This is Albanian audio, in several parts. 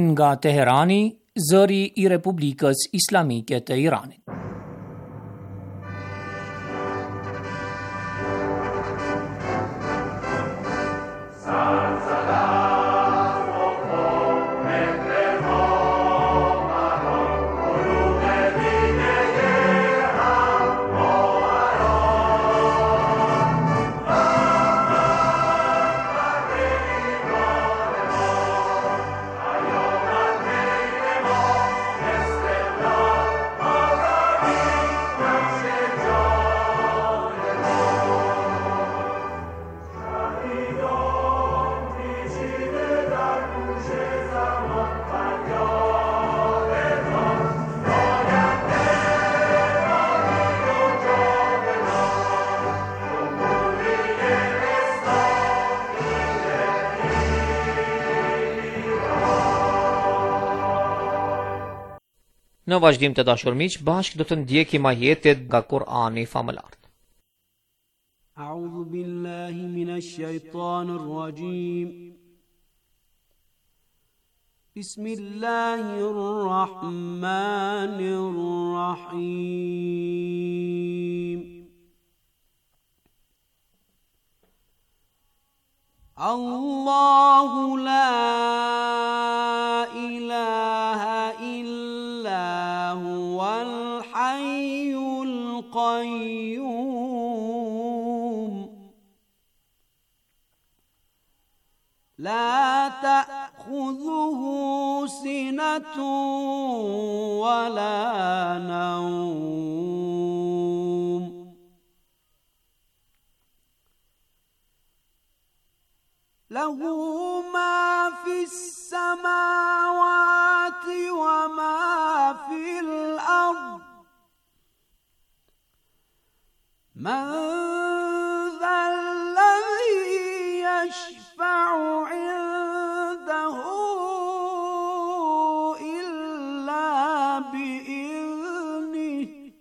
Nga Teherani, zëri i Republikës Islamike të Iranit. Në vazhdim të dashur miq, bashkë do të ndjekim ajetet nga Kur'ani famëlartë. A'udhu billahi minash shaitanir rajim. Bismillahir rahmanir rahim. Allahu la ilaha illa huwal hayyul qayyum. La ta'khudhuhu sinatun wa la nawm. Lahu ma fi samawati wa ma fil ard. Man dha alladhi yashfa'u 'indahu illa bi'idhnihi.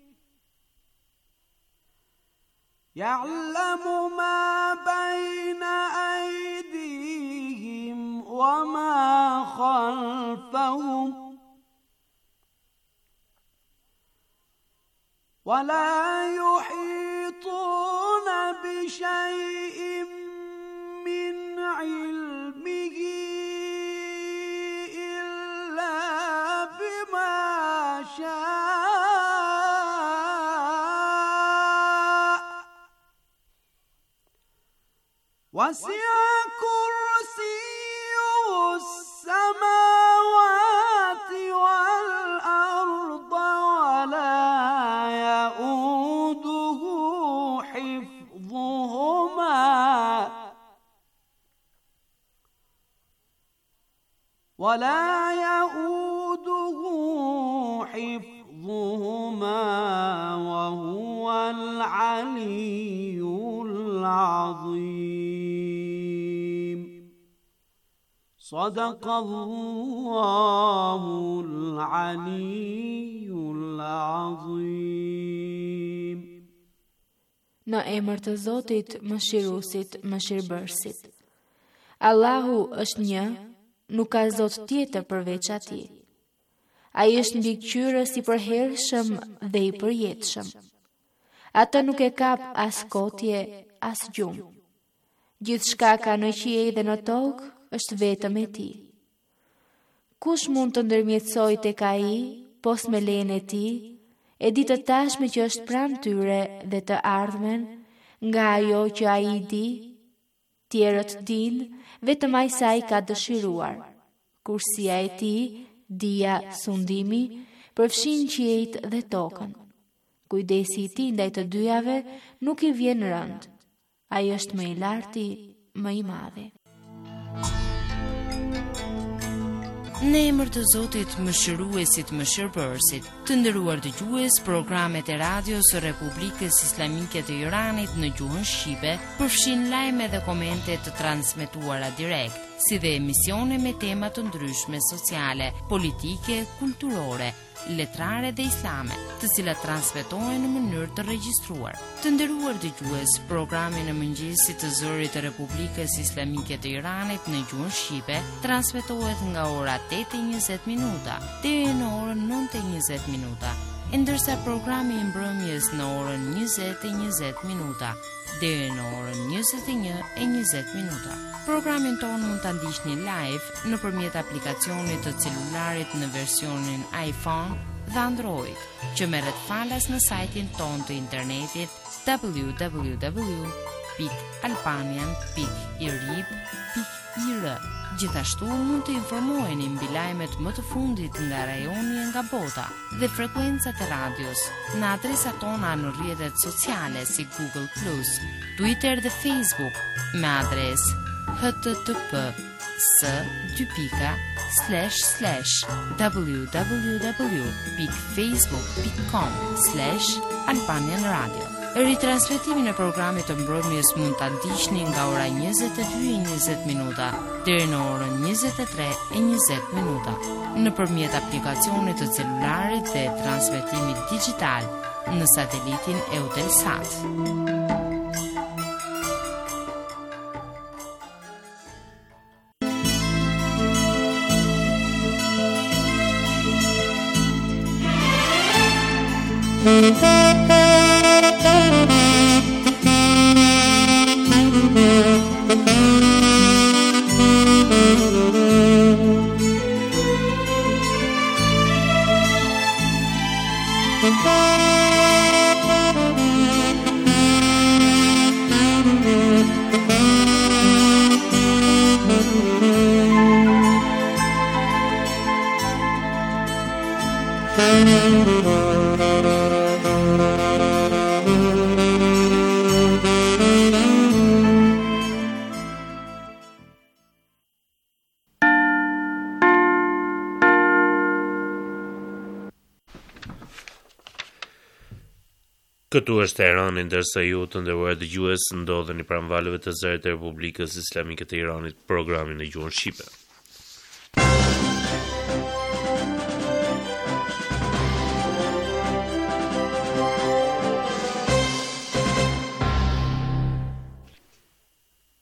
Ya'lamu ma bayna aydihim wa ma khalfahum wa la yuhituna bi shay'in min ilmihi illa bima sha'a. Wasi'a kursiyyuhu s-samawati wal arda wa la yauduhu hifdhuhuma wa la yauduhu hifdhuhuma wa huwa al-aliyyul adhim. Sadaqallahul aliyyul adhim. Në emër të Zotit, Mëshiruesit, Mëshirbërësit. Allahu është një, nuk ka Zot tjetër përveç Atij. Ai është mbikëqyrës i përhershëm dhe i përjetshëm. Atë nuk e kap as kotje, as gjumë. Gjithçka ka në qiej dhe në tokë është vetëm e tij. Kush mund të ndërmjetësojë tek ai, pos me lejen e tij, e di të tashmen që është pranë tyre dhe të ardhmen, nga ajo që ai di, tjerët dinë, vetëm aq sa ai ka dëshiruar. Kursia e tij, dija, sundimi, përfshin qiejt dhe tokën. Kujdesi i tij ndaj të dyjave nuk i vjen rëndë. Ai është më i larti, më i madhi. Në emër të Zotit, Mëshiruesit, Mëshirbërësit, Të nderuar dëgjues, programet e radios së Republikës Islamike të Iranit në gjuhën shqipe përfshijnë lajme dhe komente të transmetuara direkt, si dhe emisione me tema të ndryshme sociale, politike, kulturore, letrare dhe islame, të cilat transmetohen në mënyrë të regjistruar. Të nderuar dëgjues, programin e mëngjesit të Zërit të Republikës Islamike të Iranit në gjuhën shqipe transmetohet nga ora 8:20 minuta deri në orën 9:20 minuta, e ndërsa programi i mbrëmjes në orën 20:20 minuta deri në orën 21:20 minuta. Programin tonë mund ta ndiqni live nëpërmjet aplikacionit të celularit në versionin iPhone dhe Android, që merret falas në sajtin tonë të internetit www.albanian.irib.ir. Gjithashtu mund të informoheni mbi lajmet më të fundit nga rajoni e nga bota dhe frekuencat e radios në adresat tona në rrjetet sociale si Google+, Twitter dhe Facebook me adresë http s 2 pika slash slash www pikë facebook pikë com slash albanian radio. Ritransmetimin e programit të mbrëmjes mund ta ndiqni nga ora 22:20 minuta deri në orën 23:20 minuta nëpërmjet aplikacionit të celularit dhe transmetimit dixhital në satelitin Eutelsat. Këtu është Teherani, ndërsa ju të nderuar dëgjues ndodheni pranë valëve të Zërit të Republikës Islamike të Iranit, programi në gjuhën shqipe.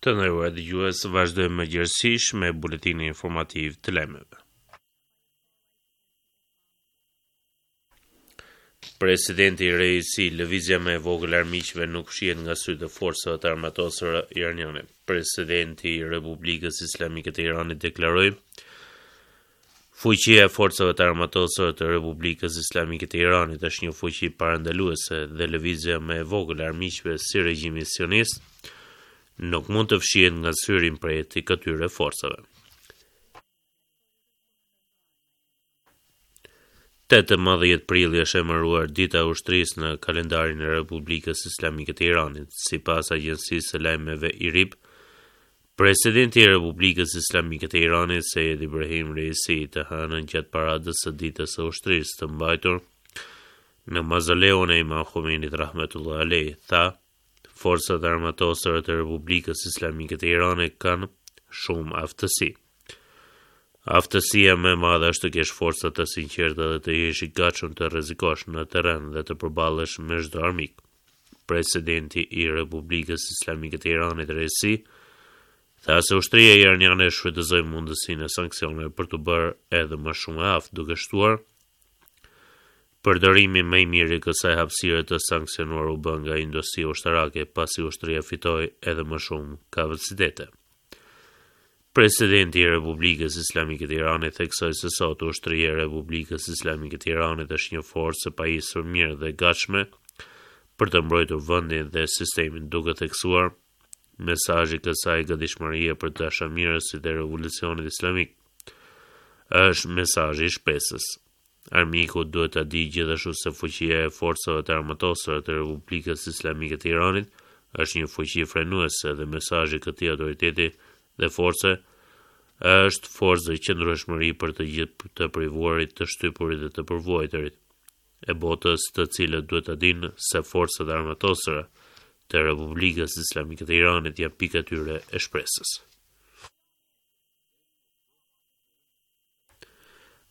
Të nderuar dëgjues, vazhdojmë më gjerësisht me buletinin informativ të lajmeve. Presidenti Reisi, lëvizja më e vogël e armiqve nuk fshihet nga sytë e forcave të armatosura iraniane. Presidenti i Republikës Islamike të Iranit deklaroi Fuqia e forcave të armatosura të Republikës Islamike të Iranit është një fuqi parandaluese dhe lëvizja më e vogël e armiqve si regjimi sionist nuk mund të fshihet nga syri i mprehtë i këtyre forcave. 18 prilli është emëruar Dita e Ushtrisë në kalendarin e Republikës Islamike të Iranit. Sipas agjencisë së lajmeve IRIB, Presidenti i Republikës Islamike të Iranit, Sejed Ibrahim Reisi, të hënën gjatë paradës së Ditës së Ushtrisë të mbajtur në mauzoleun e Imam Khomeinit rahmetullahi alejh, tha Forcat e Armatosura të Republikës Islamike të Iranit kanë shumë aftësi. Aftësia më e madhe është të kesh forca të sinqerta dhe të jesh i gatshëm të rrezikosh në terren dhe të përballesh me çdo armik. Presidenti i Republikës Islamike të Iranit, Reisi, tha se ushtria iraniane shfrytëzoi mundësinë e sanksioneve për t'u bërë edhe më shumë e aftë, duke shtuar Përdorimi më i mirë i kësaj hapësire të sanksionuar u bë nga industria ushtarake, pasi ushtria fitoi edhe më shumë kapacitete. Presidenti i Republikës Islamike të Iranit theksoi se sot ushtria e Republikës Islamike të Iranit është një forcë e pajisur mirë dhe e gatshme për të mbrojtur vendin dhe sistemin, duke theksuar mesazhi i kësaj gatishmërie për dashamirësit e revolucionit islamik është mesazhi i shpresës. Armiku duhet ta dijë gjithashtu se fuqia e forcave të armatosura të Republikës Islamike të Iranit është një fuqi frenuese dhe mesazhi i këtij autoriteti dhe force është forcë dhe qëndrueshmëri për të gjithë të privuarit, të shtypurit dhe të përvuajturit. e botës, të cilët duhet ta dinë se forcat e armatosura të Republikës Islamike të Iranit janë pika e tyre e shpresës.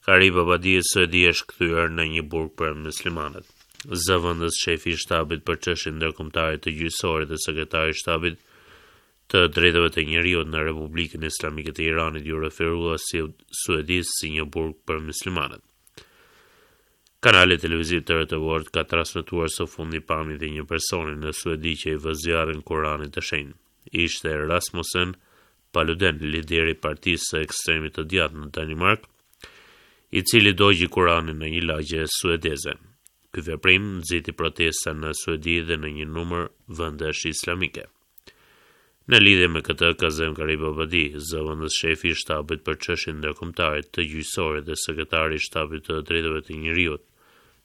Gharibabadi, Suedia është kthyer në një burg për muslimanët. Zëvendës shefi i shtabit për çështjet ndërkombëtare të gjyqësorit dhe sekretari i shtabit të drejtave të njeriut në Republikën Islamike të Iranit iu referua si Suedisë si një burg për muslimanët. Kanali televiziv TRT World ka transmetuar së fundi pamjet e një personi në Suedi që i vë zjarrin Kuranit të Shenjtë. Ishte Rasmussen Paluden, lideri i partisë së ekstremit të djathtë në Danimarkë, i cili dogji Kuranin në një lagje suedeze. Ky veprim nxiti protesta në Suedi dhe në një numër vendesh islamike. Në lidhje me këtë, Kazem Gharibabadi, zëvendës shefi i shtabit për çështjet ndërkombëtare të gjyqësorit dhe sekretari i shtabit të drejtave të njeriut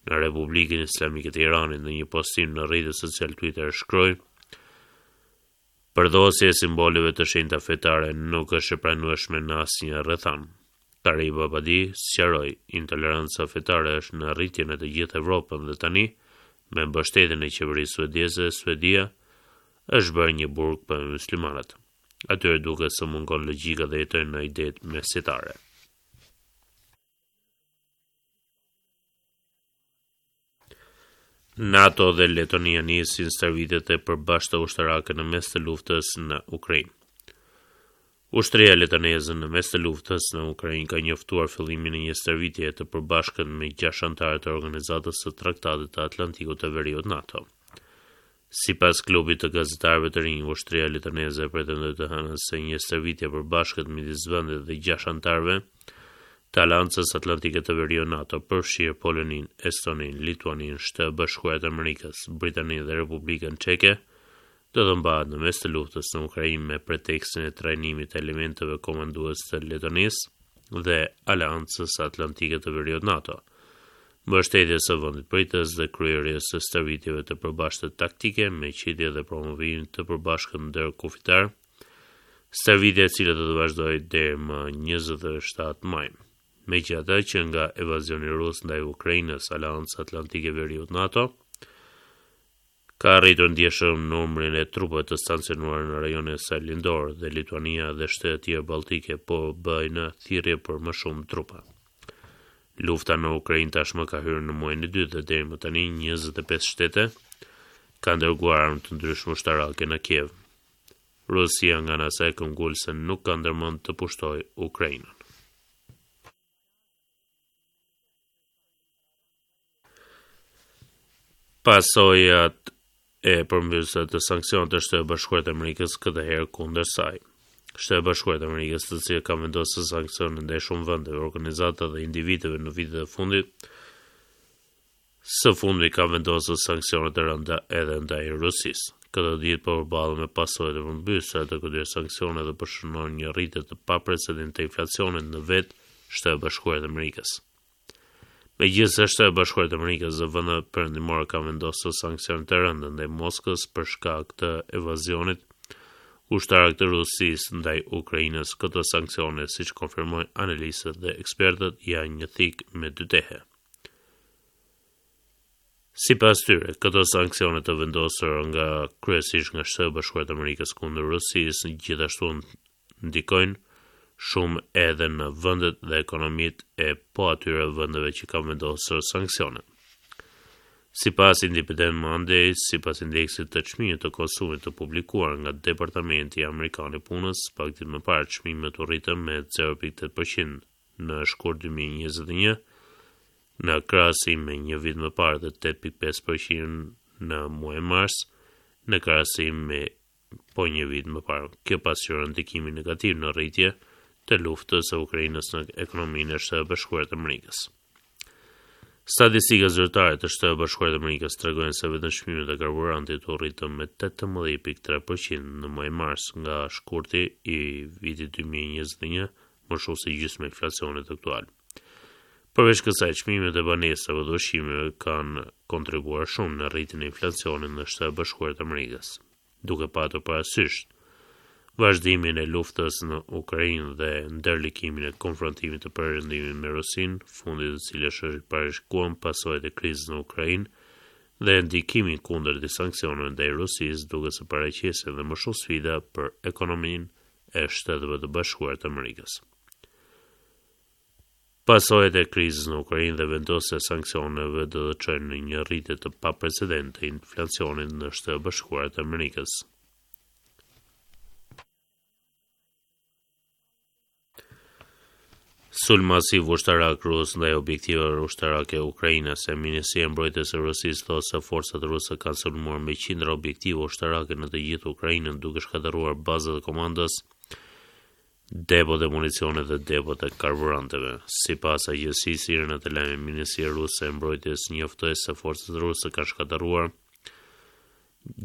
në Republikën Islamike të Iranit në një postim në rrjetin social Twitter shkroi Përdhosja e simboleve të shenjta fetare nuk është e pranueshme në asnjë rrethanë. Gharibabadi sqaroi, intoleranca fetare është në rritje në të gjithë Evropën dhe tani, me mbështetjen e qeverisë suedeze, Suedia është bërë një burg për muslimanët. Atyre duket se mungon logjika dhe jetojnë në idetë mesjetare. NATO dhe Letonia nisin stërvitjet e përbashkëta ushtarake në mes të luftës në Ukrainë. Ushtria letoneze në mes të luftës në Ukrainë ka njoftuar fillimin e një stërvitjeje të përbashkët me gjashtë anëtarë të Organizatës së Traktatit të Atlantikut të Veriut NATO. Sipas Klubit të Gazetarëve të Rinj, ushtria letoneze pretendoi të hënën se një stërvitje e përbashkët midis vendit dhe gjashtë anëtarëve të Aleancës Atlantike të Veriut NATO, përfshirë Poloninë, Estoninë, Lituaninë, Shtetet e Bashkuara të Amerikës, Britaninë dhe Republikën Çeke, do të mbahet në mes të luftës në Ukrainë me pretekstin e trajnimit të elementëve komandues të Letonisë dhe Aleancës Atlantike të Veriut NATO. mbështetjes së vendit pritës dhe kryerjes së stërvitjeve të përbashkëta taktike me qitje dhe promovim të përbashkët ndërkufitar, stërvitje e cila do të vazhdojë deri më 27 maj. Megjithatë, që nga invazioni rus ndaj Ukrainës, Aleanca Atlantike e Veriut NATO ka rritur ndjeshëm numrin e trupave të stacionuara në rajonin e saj lindor dhe Lituania dhe shtetet e tjera baltike po bëjnë thirrje për më shumë trupa. Lufta në Ukrainë tashmë ka hyrë në muajin e dytë dhe deri më tani 25 shtete kanë dërguar armë të ndryshme ushtarake në Kiev. Rusia nga ana e saj këmbgul se nuk ka ndërmend të pushtojë Ukrainën. Pasojat e përmbysëse të sanksioneve të Shteteve të Bashkuara të Amerikës këtë herë kundër saj. Shtetet e Bashkuara të Amerikës, të cilët kanë vendosur sanksione ndaj shumë vendeve, organizatave dhe individëve në vitet e fundit, së fundmi kanë vendosur sanksione të rënda edhe ndaj Rusisë. Këto ditë po përballen me pasojat e përmbysëse të këtyre sanksioneve dhe po shënojnë një rritje të paprecedentë të inflacionit në vetë Shtetet e Bashkuara të Amerikës. Megjithëse Shtetet e Bashkuara të Amerikës dhe vendet perëndimore kanë vendosur sanksione të rënda ndaj Moskës për shkak të invazionit ushtarak të Rusisë ndaj Ukrainës, këto sanksione, siç konfirmojnë analistët dhe ekspertët, janë një thikë me dy tehe. Sipas tyre, këto sanksione të vendosura nga kryesisht nga Shtetet e Bashkuara të Amerikës kundër Rusisë gjithashtu ndikojnë shumë edhe në vendet dhe ekonomitë e po atyre vendeve që kanë vendosur sanksione. Sipas Independent Monday, sipas indeksit të çmimit të konsumit të publikuar nga Departamenti Amerikan i Punës, pak ditë më parë çmimet u rritën me 0.8% në shkurt 2021, në krahasim me një vit më parë dhe 8.5% në muajin mars, në krahasim me po një vit më parë. Kjo pasqyron ndikimin negativ në rritje të luftës së Ukrainës në ekonominë e Shteteve të Bashkuara të Amerikës. Statistikat zyrtare të Shteteve të Bashkuara të Amerikës tregojnë se vetëm çmimet e karburantit u rritën me 18.3% në muajin mars nga shkurti i vitit 2021, më shumë se gjysma e inflacionit aktual. Përveç kësaj, çmimet e banesave dhe ushqimeve kanë kontribuar shumë në rritjen e inflacionit në Shtetet e Bashkuara të Amerikës. Duke patur parasysh. Vazhdimin e luftës në Ukrainë dhe ndërlikimin e konfrontimit të Perëndimit me Rusinë, fundi i të cilës është i parashikuar, pasojat e krizës në Ukrainë dhe ndikimi i kundërt i sanksioneve ndaj Rusisë duket se paraqesin edhe më shumë sfida për ekonominë e Shteteve të Bashkuara të Amerikës. Pasojat e krizës në Ukrainë dhe vendosja e sanksioneve do të çojnë në një rritje të paprecedentë të inflacionit në Shtetet e Bashkuara të Amerikës. Sulm masiv ushtarak rus ndaj objektivave ushtarake ukrainase. Ministria e Mbrojtjes e Rusisë thotë se forcat ruse kanë sulmuar me qindra objektiva ushtarake në të gjithë Ukrainën, duke shkatërruar bazat e komandës, depot e municionit dhe depot e karburanteve. Sipas agjencisë IRNA të lajmeve, Ministria ruse e Mbrojtjes njoftoi se forcat ruse kanë shkatërruar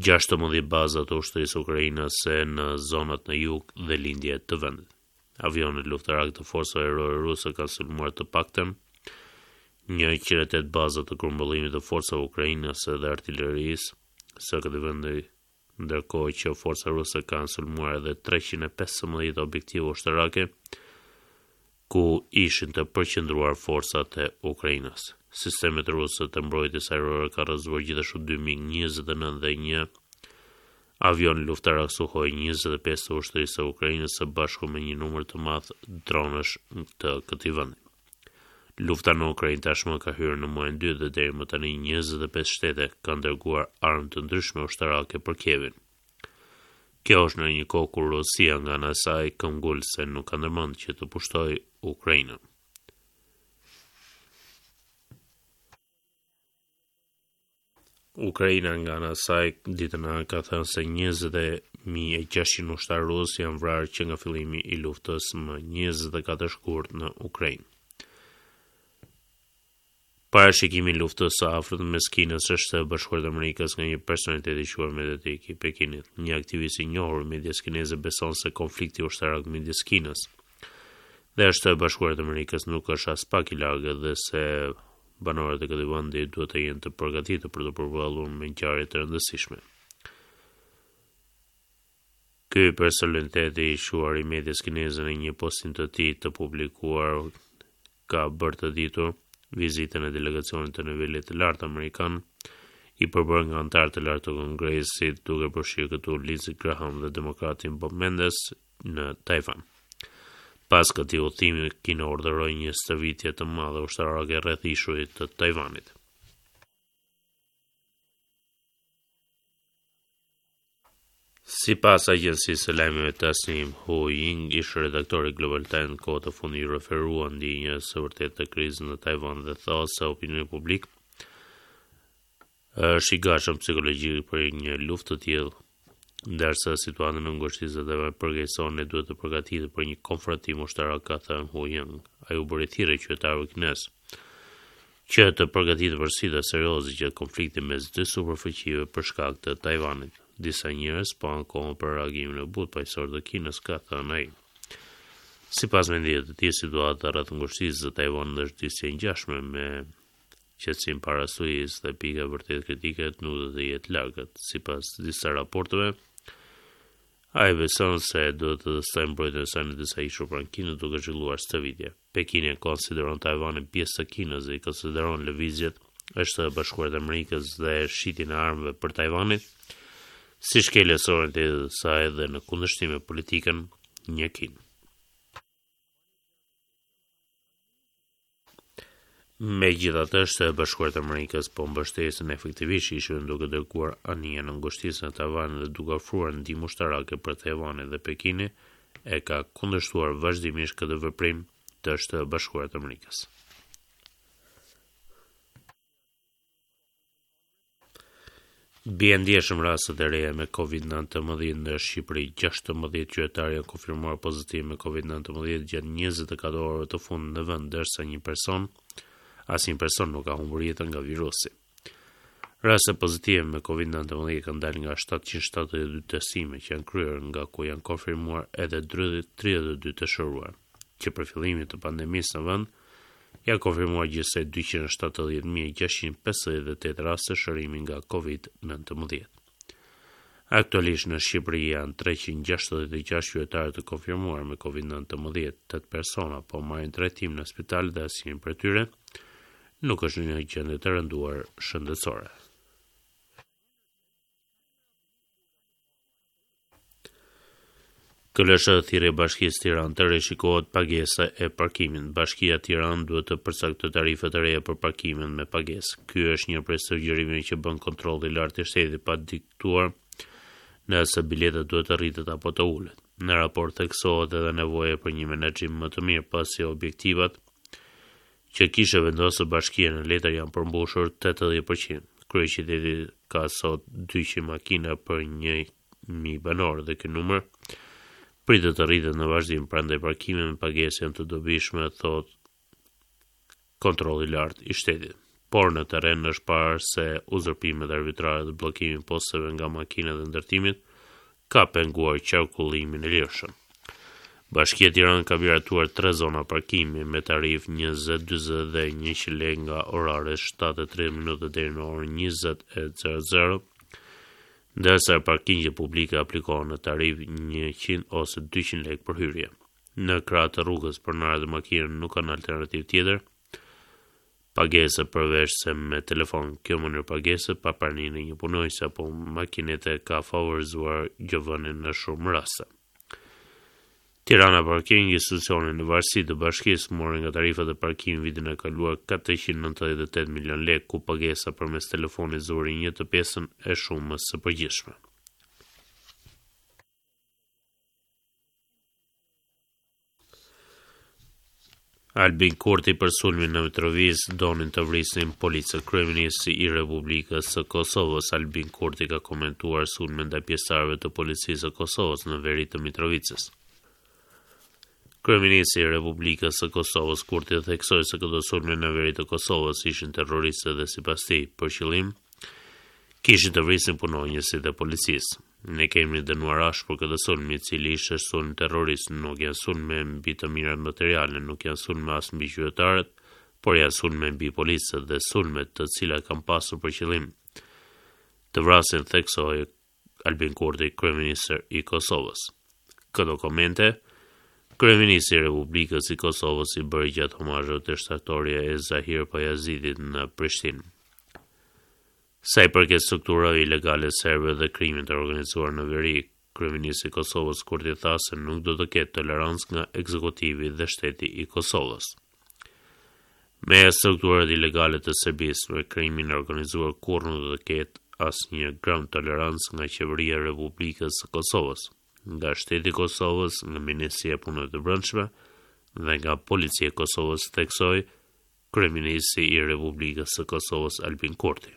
16 baza të ushtrisë ukrainase në zonat në jug dhe lindje të vendit. Avionët luftarakë të forcave ajrore ruse kanë sulmuar të paktën 108 baza të grumbullimit të forcave ukrainase dhe artilerisë së këtij vendi, ndërkohë që forcat ruse kanë sulmuar edhe 315 objektiva ushtarake ku ishin të përqendruar forcat e Ukrainës. Sistemet ruse të mbrojtjes ajrore kanë rrëzuar gjithashtu 2 MiG-29 dhe një avion luftarak Suhoi 25 të ushtrisë së Ukrainës së bashku me një numër të madh dronësh të këtij vendi. Lufta në Ukrainë tashmë ka hyrë në muajin e dytë dhe deri më tani 25 shtete kanë dërguar armë të ndryshme ushtarake për Kievin. Kjo është në një kohë kur Rusia nga ana e saj këmbgul se nuk ka ndërmend që të pushtojë Ukrainën. Ukraina nga ana e saj ditën e hënë ka thënë se 20.600 ushtarë rusë janë vrarë që nga fillimi i luftës më 24 shkurt në Ukrainë. Parashikimi i luftës së afërt mes Kinës e Shteteve të Bashkuara të Amerikës nga një personalitet i shquar mediatik i Pekinit. Një aktivist i njohur i medias kineze beson se konflikti ushtarak midis Kinës dhe Shteteve të Bashkuara të Amerikës nuk është aspak i largët dhe se banorët e këtij vendi duhet të jenë të përgatitur për të përballur me ngjarje të rëndësishme. Ky personalitet i shquar i medias kineze në një postim të tij të publikuar ka bërë të ditur vizitën e delegacionit të nivelit të lartë amerikan, i përbërë nga anëtarë të lartë të Kongresit, duke përfshirë këtu Lindsey Graham dhe demokratin Bob Menendez në Tajvan. Pas këtij udhëtimi, Kina urdhëroi një stërvitje të madhe ushtarake rreth ishullit të Tajvanit. Sipas agjencisë së lajmeve Tasnim, Hu Ying, ish-redaktor i Global Times, kohët e fundit iu referua ndjenjës së vërtetë të krizës në Tajvan dhe tha se opinioni publik është i gatshëm psikologjikisht për një luftë të tillë, ndërsa situata në ngushticën e Tajvanit përkeqësohet, ne duhet të përgatitemi për një konfrontim ushtarak, ka thënë Hu Ying. Ai u bëri thirrje qytetarëve kinezë që të përgatiten për sfida serioze gjatë konfliktit mes dy superfuqive për shkak të Tajvanit. Disa njerëz po ankohen për reagimin e butë paqësor të Kinës, ka thënë ai. Sipas mendimit të tij, situata rreth ngushticës së Tajvanit është disi e ngjashme me qetësinë para stuhisë dhe pika e vërtetë kritike nuk do të jetë largët. Sipas disa raporteve, ai beson se duhet të testojë mbrojtjen e saj në disa ishuj pranë Kinës duke zhvilluar stërvitje. Pekini e konsideron Tajvanin pjesë të Kinës dhe i konsideron lëvizjet e Shteteve të Bashkuara të Amerikës dhe shitjen e armëve për Tajvanin si shkelje e sovranitetit të saj dhe në kundërshtim me politikën një Kinë. Megjithatë, Shtetet e Bashkuara të Amerikës po mbështesin efektivisht ishullin duke dërguar anije në ngushticën e Tajvanit dhe duke ofruar ndihmë ushtarake për Tajvanin dhe Pekini e ka kundërshtuar vazhdimisht këtë veprim të Shteteve të Bashkuara të Amerikës. Bien ndjeshëm rastet e reja me Covid-19 në Shqipëri. 16 qytetarë janë konfirmuar pozitiv me Covid-19 gjatë 24 orëve të fundit në vend, ndërsa një person, asnjë person nuk ka humbur jetën nga virusi. Raste pozitive me Covid-19 kanë dalë nga 772 testime që janë kryer, nga ku janë konfirmuar edhe 32 të shëruar. Që prej fillimit të pandemisë në vend, Janë konfirmuar gjithsej 270.658 raste shërimi nga Covid-19. Aktualisht në Shqipëri janë 366 qytetarë të konfirmuar me COVID-19, 8 persona po marrin trajtim në spital dhe asnjëri prej tyre nuk është në një gjendje të rënduar shëndetësore. KLSH thirrje Bashkisë Tiranë të rishikohet pagesa e parkimit. Bashkia Tiranë duhet të përcaktojë tarifa të reja për parkimin me pagesë. Ky është një prej sugjerimeve që bën kontrolli i lartë i shtetit pa diktuar nëse bileta duhet të rritet apo të ulet. Në raport theksohet edhe nevoja për një menaxhim më të mirë pasi objektivat që kishte vendosur bashkia në letër janë përmbushur 80%. Kryeqyteti ka sot 200 makina për 1000 banorë dhe ky numër pritet të rritet në vazhdim, prandaj parkimet me pagesë janë të dobishme, thotë kontrolli i lartë i shtetit. Por në terren është parë se uzurpimet arbitrare dhe bllokimi i posteve nga makinat e ndërtimit ka penguar qarkullimin e lirshëm. Bashkia Tiranë ka miratuar tre zona parkimi me tarifë 20, 40 dhe 100 lekë nga oraret 7:30 minuta deri në orën 20:00, ndërsa parkingjet publike aplikohen në tarifë 100 ose 200 lekë për hyrje. Në krah të rrugës, pronarët e makinave nuk kanë alternativë tjetër pagese përveç se me telefon. Kjo mënyrë pagese pa praninë e një punonjësi apo makinete ka favorizuar gjobëvënien në shumë raste. Tirana Parking, institucioni në varësi të bashkisë, mori nga tarifat e parkimit vitin e kaluar 498 milion lekë, ku pagesa përmes telefonit zuri një të pestën e shumës së përgjithshme. Albin Kurti për sulmin në Mitrovicë donin të vrisnin policët. Kryeministri i Republikës së Kosovës, Albin Kurti ka komentuar sulmin ndaj pjesëtarëve të policisë së Kosovës në veri të Mitrovicës. Kryeministri i Republikës së Kosovës, Kurti theksoi se këto sulme në veri të Kosovës ishin terroriste dhe sipas tij, për qëllim kishin të vrisnin punonjësit e policisë. Ne kemi dënuar ashpër këtë sulm, i cili ishte sulm terrorist, nuk janë sulme mbi të mirat materiale, nuk janë sulme as mbi qytetarët, por janë sulme mbi policët dhe sulme të cilat kanë pasur për qëllim të vrasin, theksoi Albin Kurti, kryeministër i Kosovës. Këto komente, kryeministri i Republikës i Kosovës i bëri gjatë homazheve te shtatorja e Zahir Pajazitit në Prishtinë. Sa i përket strukturave ilegale serbe dhe krimit të organizuar në veri, kryeministri i Kosovës Kurti tha se nuk do të ketë tolerancë nga ekzekutivi dhe shteti i Kosovës. Me strukturat ilegale të Serbisë, me krimin e organizuar kurrë nuk do të ketë asnjë gram tolerancë nga qeveria e Republikës së Kosovës, nga shteti i Kosovës, nga Ministria e Punëve të Brendshme dhe nga Policia e Kosovës, theksoi Kryeministri i Republikës së Kosovës Albin Kurti.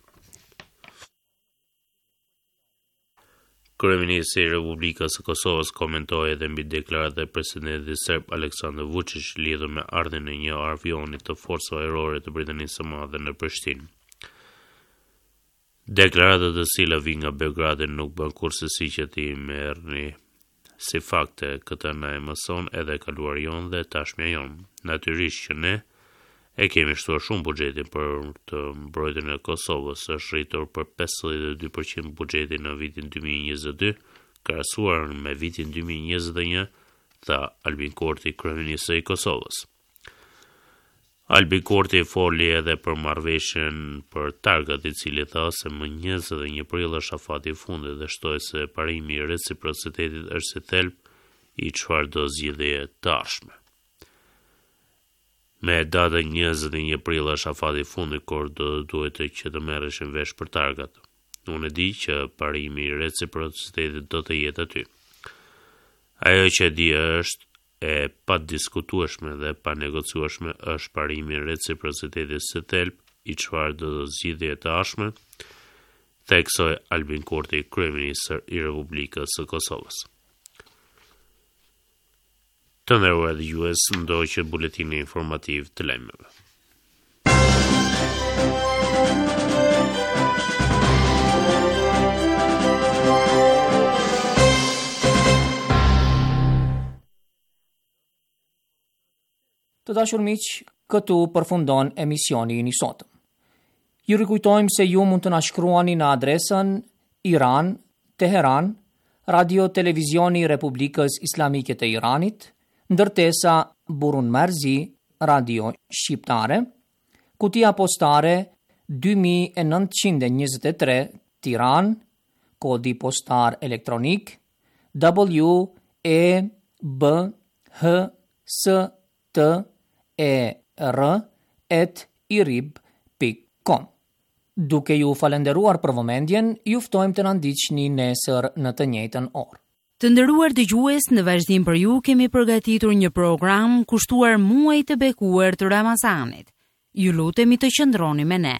Kryeministri i Republikës së Kosovës komentoi edhe mbi deklaratat e presidentit serb Aleksandar Vučić lidhur me ardhjen e një avioni të forcave ajrore të Britanisë së Madhe në Prishtinë. Deklaratat të cilat vijnë nga Beogradi nuk bën kurrsesi që t'i merrni si fakte, këtë na e mëson edhe e kaluara jonë dhe e tashmja jonë. Natyrisht që ne e kemi shtuar shumë buxhetin për të mbrojtjen e Kosovës, është rritur për 52% buxheti në vitin 2022, krahasuar me vitin 2021, tha Albin Kurti, kryeministri i Kosovës. Albin Kurti foli edhe për marrëveshjen për targat, i cili tha se më 21 prill është afati i fundit dhe shtoi se parimi i reciprocitetit është si thelb i çfarëdo zgjidhjeje të ardhshme. Me datën 21 prill është afati i fundit kur do të duhet që të merreshin vesh për targat. Unë e di që parimi i reciprocitetit do të jetë aty. Ajo që e di është e padiskutueshme dhe e panegociueshme është parimi i reciprocitetit si thelb i çfarëdo zgjidhjeje të ardhshme, theksoi Albin Kurti, kryeministër i Republikës së Kosovës. Të nderuar dëgjues, ndoqët buletinin informativ të lajmeve. Të dashur miq, këtu përfundon emisioni ynë i sotëm. Ju rikujtojmë se ju mund të na shkruani në adresën iran.rtk. Teheran, Radio Televizioni i Republikës Islamike të Iranit, ndërtesa Burun Marzi, Radio Shqiptare, kutia postare 2923 Tiranë, kodi postar elektronik W E B H S T E R at irib.com. Duke ju falënderuar për vëmendjen, ju ftojmë të na ndiqni nesër në të njëjtën orë. Të nderuar dëgjues, në vazhdim për ju kemi përgatitur një program kushtuar muajit të bekuar të Ramazanit. Ju lutemi të qëndroni me ne.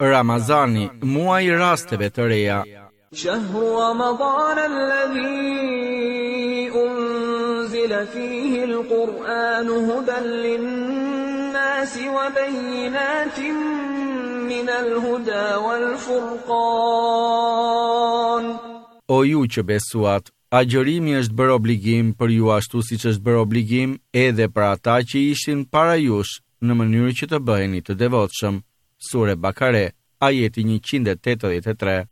Ramazani, muaji i rasteve të reja. Shahru Ramadan alladhi unzila fihi al-Qur'an hudan lin-nasi wa bayyinatin min al-huda wal-furqan. O ju që besuat, agjërimi është bërë obligim për ju ashtu siç është bërë obligim edhe për ata që ishin para jush, në mënyrë që të bëheni të devotshëm. Sure Bakare, ajeti 183.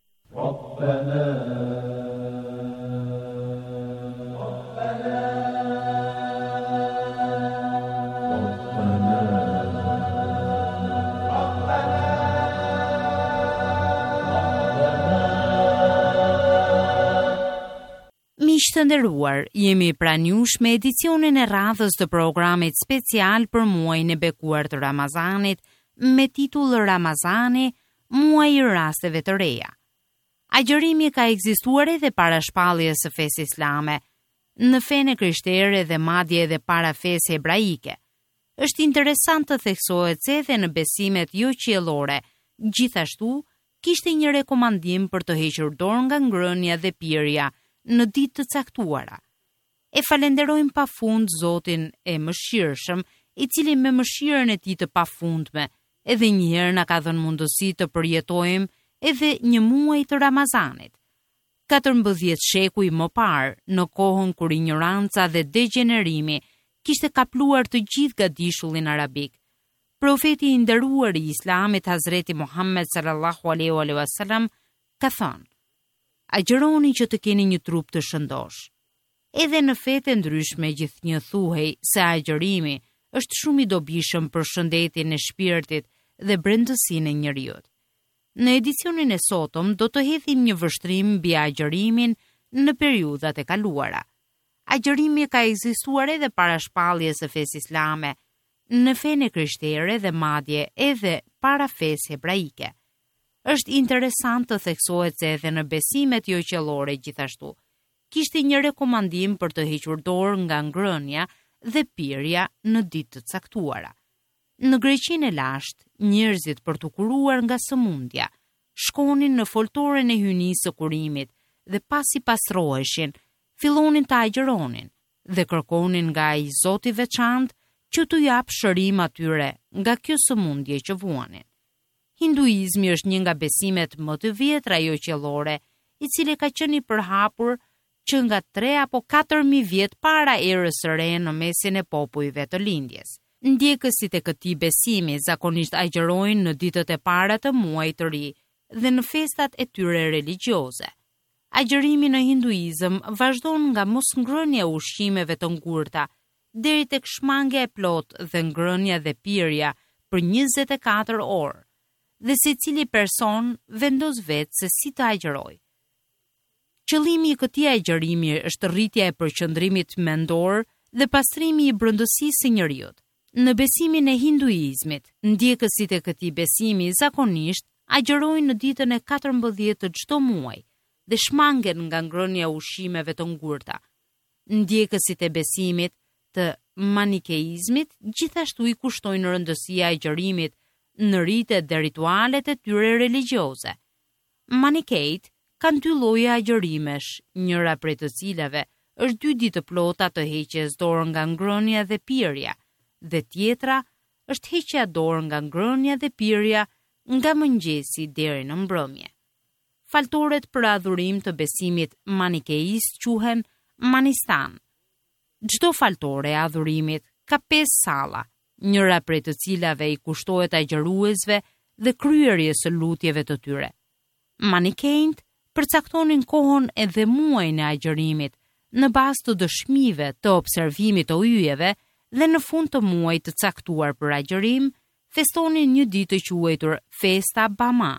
Miq të nderuar, jemi pranë jush me edicionin e radhës të programit special për muajin e bekuar të Ramazanit me titull Ramazani, muaji i rasteve të reja. Agjërimi ka ekzistuar edhe para shpalljes së fesë islame, në fenë e krishtere dhe madje edhe para fesë hebraike. Është interesant të theksohet se edhe në besimet joqiellore, gjithashtu kishte një rekomandim për të hequr dorë nga ngrënia dhe pirja në ditë të caktuara. E falenderojmë pafund Zotin e Mëshirshëm, i cili me mëshirën e tij të pafundme edhe një herë na ka dhënë mundësi të përjetojmë edhe një muaj të Ramazanit. 14 shekuj më parë, në kohën kur injoranca dhe degjenerimi kishte kapluar të gjithë gadishullin arabik, Profeti i nderuar i Islamit Hazreti Muhammed sallallahu alaihi wasallam ka thënë: Agjëroni që të keni një trup të shëndoshë. Edhe në fetë e ndryshme gjithnjë thuhej se agjërimi është shumë i dobishëm për shëndetin e shpirtit dhe brendësinë e njeriut. Në edicionin e sotëm do të hedhim një vështrim mbi agjërimin në periudhat e kaluara. Agjërimi ka ekzistuar edhe para shpalljes së fesë islame, në fenë e krishtere dhe madje edhe para fesë hebraike. Është interesant të theksohet se edhe në besimet joqiellore gjithashtu kishte një rekomandim për të hequr dorë nga ngrënia dhe pirja në ditë të caktuara. Në Greqinë e lashtë, njerëzit për t'u kuruar nga sëmundja, shkonin në foltoren e hyjnisë së kurimit dhe pasi pastroheshin, fillonin të agjëronin dhe kërkonin nga ai zot i veçantë që t'u japë shërim atyre nga kjo sëmundje që vuanin. Hinduizmi është një nga besimet më të vjetra joqiellore, i cili ka qenë i përhapur që nga 3 apo 4000 vjet para erës së re në mesin e popujve të lindjes. Ndjekësit e këtij besimi zakonisht agjërojnë në ditët e para të muajit të ri dhe në festat e tyre religjioze. Agjërimi në hinduizëm vazhdon nga mosngrënia e ushqimeve të ngurta deri tek shmangia e plotë dhe ngrënia dhe pirja për 24 orë dhe secili person vendos vetë se si të agjërojë. Qëllimi i këtij agjërimi është rritja e përqendrimit mendor dhe pastrimi i brendësisë së njeriut. Në besimin e hinduizmit, ndjekësit e këtij besimi zakonisht agjërojnë në ditën e 14 të çdo muaj dhe shmangen nga ngrënia e ushqimeve të ngurta. Ndjekësit e besimit të manikeizmit gjithashtu i kushtojnë rëndësi agjërimit në ritet dhe ritualet e tyre religjioze. Manikejt. Kanë dy lloje agjërimesh, njëra prej të cilave është dy ditë të plota të heqjes dorë nga ngrënia dhe pirja, dhe tjetra është heqja dorë nga ngrënia dhe pirja nga mëngjesi deri në mbrëmje. Faltoret për adhurim të besimit manikeist quhen manistan. Çdo faltore e adhurimit ka pesë salla, njëra prej të cilave i kushtohet agjëruesve dhe kryerjes së lutjeve të tyre. Manikenjtë përcaktonin kohën edhe muajin e agjërimit në bazë të dëshmive të observimit të yjeve dhe në fund të muajit të caktuar për agjërim, festonin një ditë të quajtur Festa Bama.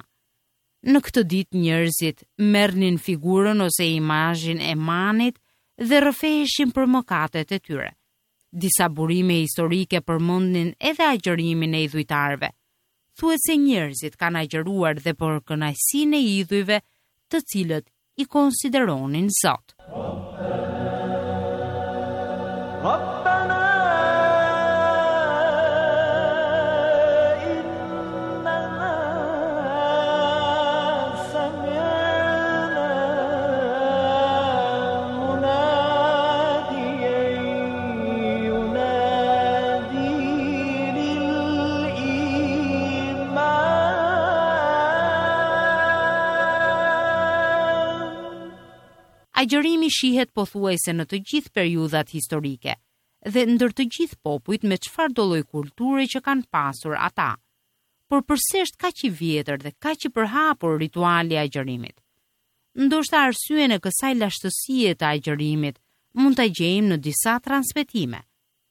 Në këtë ditë njerëzit merrnin figurën ose imazhin e Manit dhe rrëfeheshin për mëkatet e tyre. Disa burime historike përmendnin edhe agjërimin e idhujtarëve. Thuhet se njerëzit kanë agjëruar dhe për kënaqësinë e idhujve të cilët i konsideronin zot. Agjërimi shihet pothuajse në të gjithë periudhat historike dhe ndër të gjithë popujt me çfarëdo lloj kulture që kanë pasur ata. Por përse është kaq i vjetër dhe kaq i përhapur rituali i agjërimit? Ndoshta arsyen e kësaj lashtësie të agjërimit mund ta gjejmë në disa transmetime.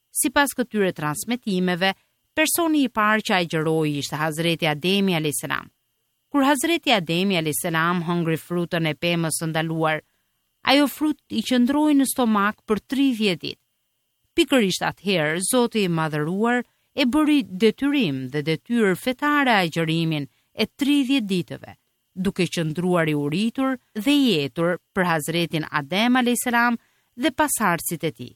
Sipas këtyre transmetimeve, personi i parë që agjëroi ishte Hazreti Ademi alayhis salam. Kur Hazreti Ademi alayhis salam hëngri frutën e pemës së ndaluar, ajo frutë i qëndroi në stomak për 30 ditë. Pikërisht atëherë, Zoti i Madhëruar e bëri detyrim dhe detyrë fetare agjërimin e 30 ditëve, duke qëndruar i uritur dhe i etur për Hazretin Adem alayhis salam dhe pasardhësit e tij.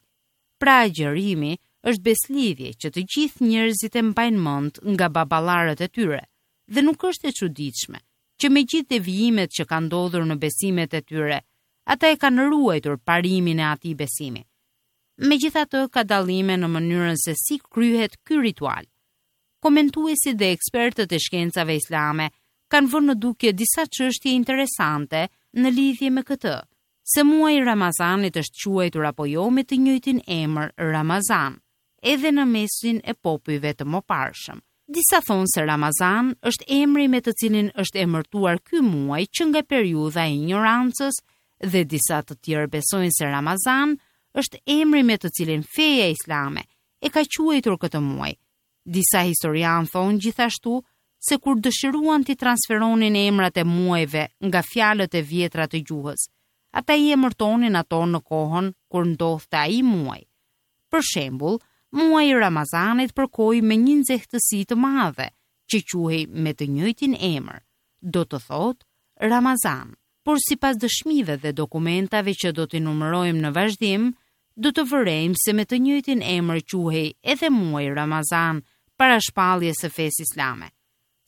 Pra agjërimi është besëlidhje që të gjithë njerëzit e mbajnë mend nga baballarët e tyre dhe nuk është e çuditshme që me gjithë devijimet që kanë ndodhur në besimet e tyre, ata e kanë ruajtur parimin e atij besimi. Megjithatë ka dallime në mënyrën se si kryhet ky ritual. Komentuesit dhe ekspertët e shkencave islame kanë vënë në dukje disa çështje interesante në lidhje me këtë, se muaji i Ramazanit është quajtur apo jo me të njëjtin emër Ramazan, edhe në mesin e popujve të mëparshëm. Disa thonë se Ramazan është emri me të cilin është emërtuar ky muaj që nga periudha e injorancës dhe disa të tjerë besojnë se Ramazan është emri me të cilin feja islame e ka quajtur këtë muaj. Disa historianë thonë gjithashtu se kur dëshiruan t'i transferonin emrat e muajve nga fjalët e vjetra të gjuhës, ata i emërtonin ato në kohën kur ndodhte ai muaj. Për shembull, muaji i Ramazanit përkoi me një nxehtësi të madhe që quhej me të njëjtin emër, do të thotë Ramazan. Por sipas dëshmive dhe dokumentave që do t'i numërojmë në vazhdim, do të vërejmë se me të njëjtin emër quhej edhe muaji Ramazan para shpalljes së fesë islame.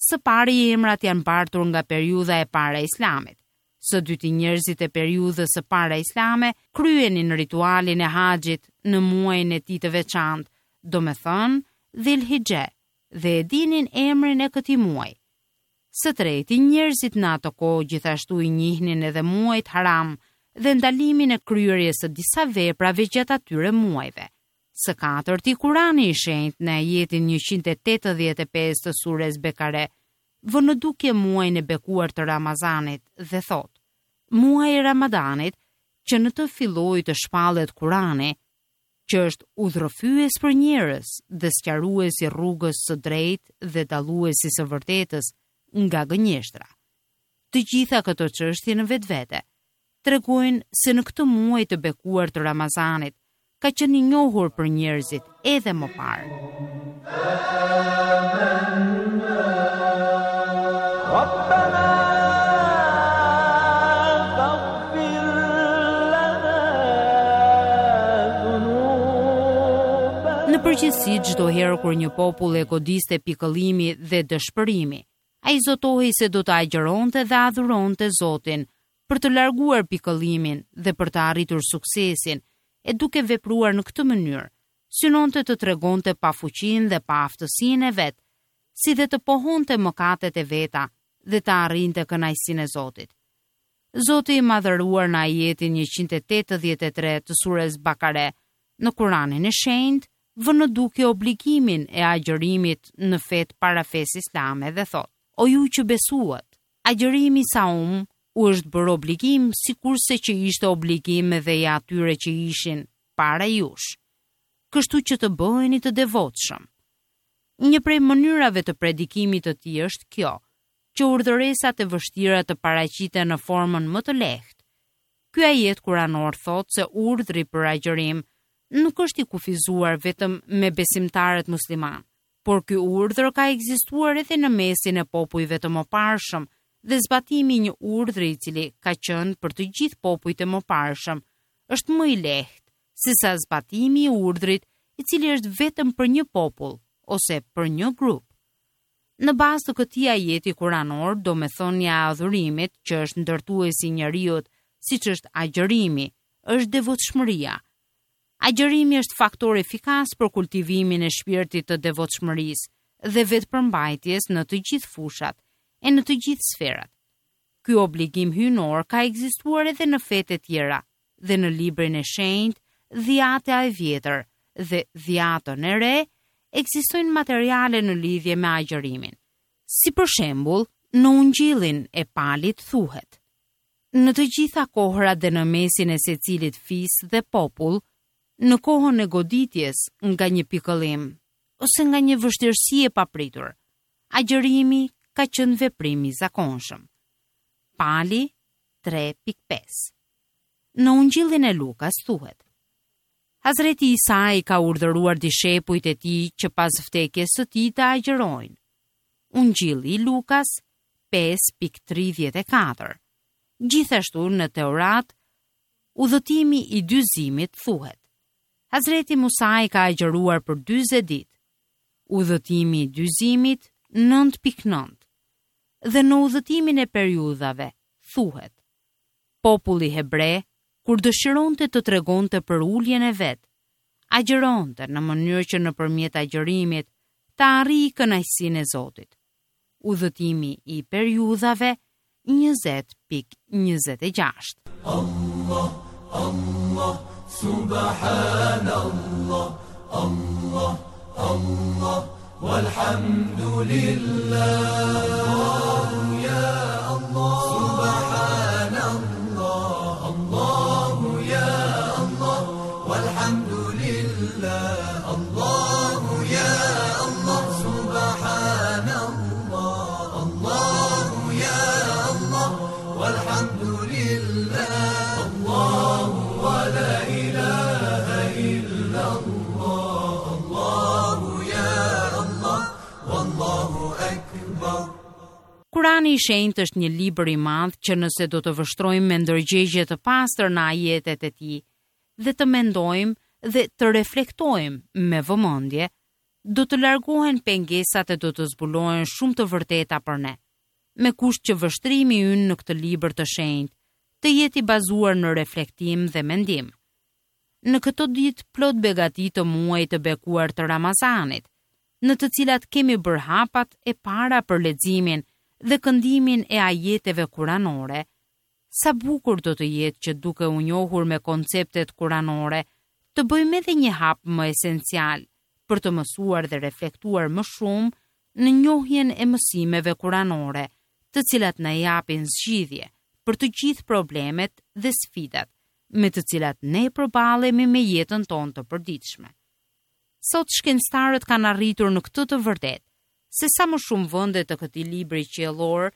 Së pari emrat janë bartur nga periudha e para islamit. Së dyti njerëzit e periudhës së para islame kryenin ritualin e haxhit në muajin e tij të veçantë, domethënë Dhil-Hixhe, dhe e dinin emrin e këtij muaji. Së treti, njerëzit në atë kohë gjithashtu i njihnin edhe muajt haram dhe ndalimin e kryerjes së disa veprave gjatë atyre muajve. Së katërti, Kurani i Shenjtë në ajetin 185 të sures Bekare vë në dukje muajin e bekuar të Ramazanit dhe thotë: Muaji i Ramadanit, që në të filloi të shpallet Kurani, që është udhërrëfyes për njerëz dhe sqarues i rrugës së drejtë dhe dallues i së vërtetës nga gënjeshtra. Të gjitha këto çështje në vetvete tregojnë se në këtë muaj të bekuar të Ramazanit ka qenë i njohur për njerëzit edhe më parë. Në përgjithësi, çdo herë kur një popull e godiste pikëllimi dhe dëshpërimi, ai zotohej se do të agjëronte dhe adhuronte Zotin. për të larguar pikëllimin dhe për të arritur suksesin, e duke vepruar në këtë mënyrë, synonte të tregonte pafuqinë dhe paaftësinë e vet, si dhe të pohonte mëkatet e veta dhe të arrinte kënaqësinë e Zotit. Zoti i Madhëruar në ajetin 183 të sures Bakare në Kuranin e Shenjtë vë në dukje obligimin e agjërimit në fetë para fesë islame dhe thotë: O ju që besuat, agjërimi saum u është bërë obligim sikurse që ishte obligim edhe i atyre që ishin para jush, kështu që të bëheni të devotshëm. Një prej mënyrave të predikimit të tij është kjo, që urdhëresat e vështira të paraqiten në formën më të lehtë. Ky ajet kuranor thotë se urdhri për agjërim nuk është i kufizuar vetëm me besimtarët muslimanë, por ky urdhër ka ekzistuar edhe në mesin e popujve të mëparshëm dhe zbatimi i një urdhri i cili ka qenë për të gjithë popujt e mëparshëm është më i lehtë sesa zbatimi i urdhrit i cili është vetëm për një popull ose për një grup. Në bazë të këtij ajeti kuranor, domethënia e adhurimit, që është ndërtuesi i njeriut, siç është agjërimi, është devotshmëria. Agjërimi është faktor efikas për kultivimin e shpirtit të devotshmërisë dhe vetëpërmbajtjes në të gjithë fushat e në të gjithë sferat. Ky obligim hyjnor ka ekzistuar edhe në fetë e tjera dhe në librin e shenjtë Dhiata e Vjetër dhe Dhiatën e Re ekzistojnë materiale në lidhje me agjërimin. Si për shembull, në Ungjillin e Palit thuhet: Në të gjitha kohërat dhe në mesin e secilit fis dhe popull, në kohën e goditjes nga një pikëllim ose nga një vështirësi e papritur, agjërimi ka qenë veprim i zakonshëm. Pali 3.5 Në Ungjillin e Lukas thuhet: Hazreti Isa i ka urdhëruar dishepujt e tij që pas vdekjes së tij të agjërojnë. Ungjilli i Lukas 5.34 Gjithashtu në Teurat, udhëtimi i dyzimit thuhet. Hazreti Musa i ka agjëruar për 40 ditë. Udhëtimi i dyzimit 9.9 Dhe në udhëtimin e periudhave thuhet. Populli hebre, kur dëshironte të tregonte përuljen e vet, agjëronte në mënyrë që nëpërmjet agjërimit të arrijë kënaqësinë e Zotit. Udhëtimi i periudhave 20.26. Allah, Allah, subhanallah, Allah, Allah, walhamdulillah, Allahu ya Allah, subhanallah, Allahu ya Allah, walhamdulillah, Allahu ya Allah, subhanallah, Allahu ya Allah, walhamdulillah, Allahu wa la ilaha illa Allah, Allahu ya Allah, wallahu akbar. Kurani i Shenjtë është një libër i madh që nëse do të vështrojmë me ndërgjegje të pastër në ajetet e tij dhe të mendojmë dhe të reflektojmë me vëmendje, do të largohen pengesat e do të zbulohen shumë të vërteta për ne, me kusht që vështrimi ynë në këtë libër të shenjtë të jetë i bazuar në reflektim dhe mendim. Në këto ditë plot begati të muajit të bekuar të Ramazanit, në të cilat kemi bërë hapat e para për leximin dhe këndimin e ajeteve kuranore, sa bukur do të jetë që duke u njohur me konceptet kuranore, të bëjmë edhe një hap më esencial për të mësuar dhe reflektuar më shumë në njohjen e mësimeve kuranore, të cilat na japin zgjidhje për të gjithë problemet dhe sfidat me të cilat ne përballemi me jetën tonë të përditshme. Sot shkencëtarët kanë arritur në këtë të vërtetë, se sa më shumë vende të këtij libri qiellor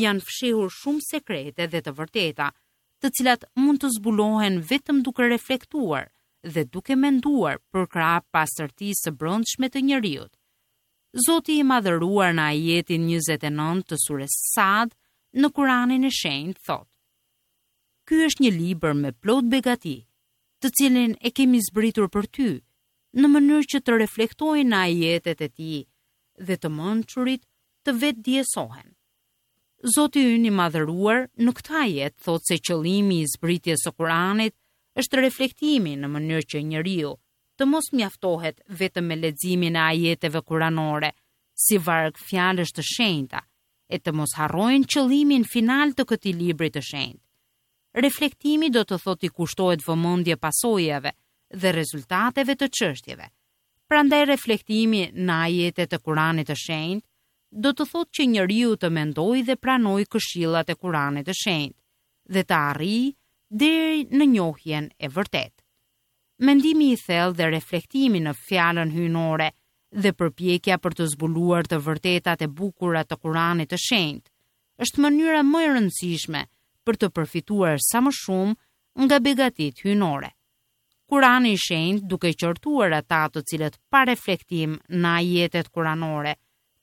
janë fshehur shumë sekrete dhe të vërteta, të cilat mund të zbulohen vetëm duke reflektuar dhe duke menduar përkrah pastërtisë së brendshme të njeriut. Zoti i Madhëruar në ajetin 29 të sures Sad në Kuranin e Shenjtë thotë: Ky është një libër me plot begati, të cilin e kemi zbritur për ty, në mënyrë që të reflektojnë në ajetet e tij dhe të mençurit të vetëdijesohen. Zoti ynë i madhëruar në këtë ajet thotë se qëllimi i zbritjes së Kuranit është reflektimi në mënyrë që njeriu të mos mjaftohet vetëm me leximin e ajeteve kuranore si varg fjalësh të shenjta e të mos harrojnë qëllimin final të këtij libri të shenjtë. Reflektimi do të thotë t'i kushtohet vëmendje pasojave dhe rezultateve të çështjeve. Prandaj reflektimi në ajetet e Kuranit të Shenjtë do të thotë që njeriu të mendojë dhe pranojë këshillat e Kuranit të Shenjtë dhe të arrijë deri në njohjen e vërtetë. Mendimi i thellë dhe reflektimi në fjalën hyjnore dhe përpjekja për të zbuluar të vërtetat e bukura të Kuranit të Shenjtë është mënyra më e rëndësishme për të përfituar sa më shumë nga begatitë hyjnore. Kurani i Shenjtë duke qortuar ata të cilët pa reflektim në ajetet kuranore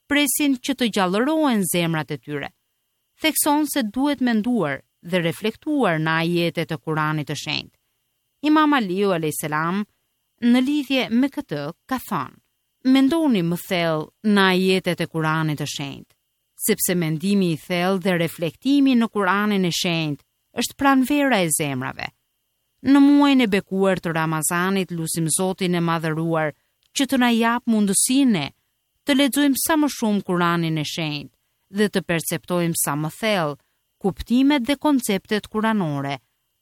presin që të gjallërohen zemrat e tyre, thekson se duhet menduar dhe reflektuar në ajetet e Kuranit të Shenjtë. Imam Aliu alayhis salam në lidhje me këtë ka thënë: Mendoni më thellë në ajetet e Kuranit të Shenjtë, sepse mendimi i thellë dhe reflektimi në Kuranin e Shenjtë është pranvera e zemrave. Në muajin e bekuar të Ramazanit lusim Zotin e Madhëruar që të na japë mundësinë ne të lexojmë sa më shumë Kuranin e Shenjtë dhe të perceptojmë sa më thellë kuptimet dhe konceptet kuranore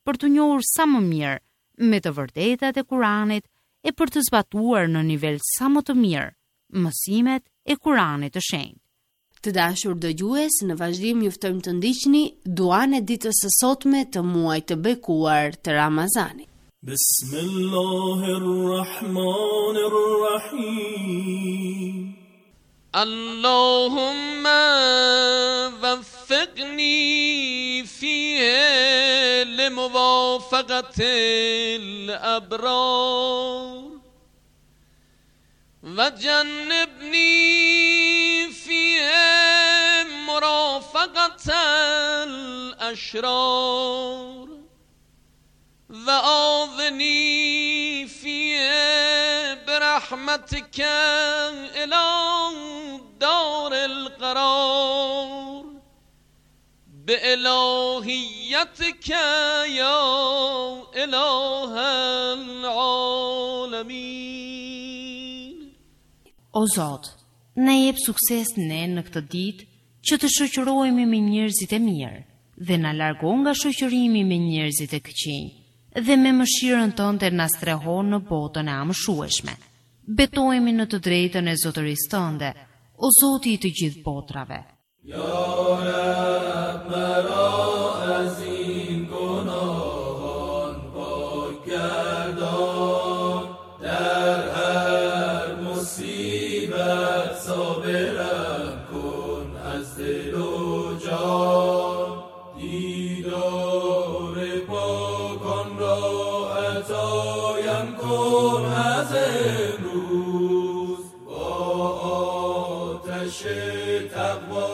për t'u njohur sa më mirë me të vërtetat e Kuranit e për të zbatuar në nivel sa më të mirë mësimet e Kuranit të Shenjtë. Të dashur dëgjues, në vazhdim ju ftojmë të ndiqni duan e ditës së sotme të muajit të bekuar të Ramazanit. Bismillahirrahmanirrahim. Allahumma waffiqni fihi li muwafaqati al-abrar. وجنبني فيه مرافقة الأشرار وآذني فيه برحمتك إلى دار القرار بإلهيتك يا إله العالمين O Zot, na jep sukses ne në këtë ditë që të shoqërohemi me njerëzit e mirë dhe na largo nga shoqërimi me njerëzit e këqinj dhe me mëshirën tënde na streho në botën e amshueshme. Betohemi në të drejtën e zotërisë tënde, o Zoti i të gjithë botrave. Ya Rab mara az in gunohon pak gardon dar har musibat sabiram kun az dil u jan didar pakon ra atayam kun az emruz Ba atesh taqva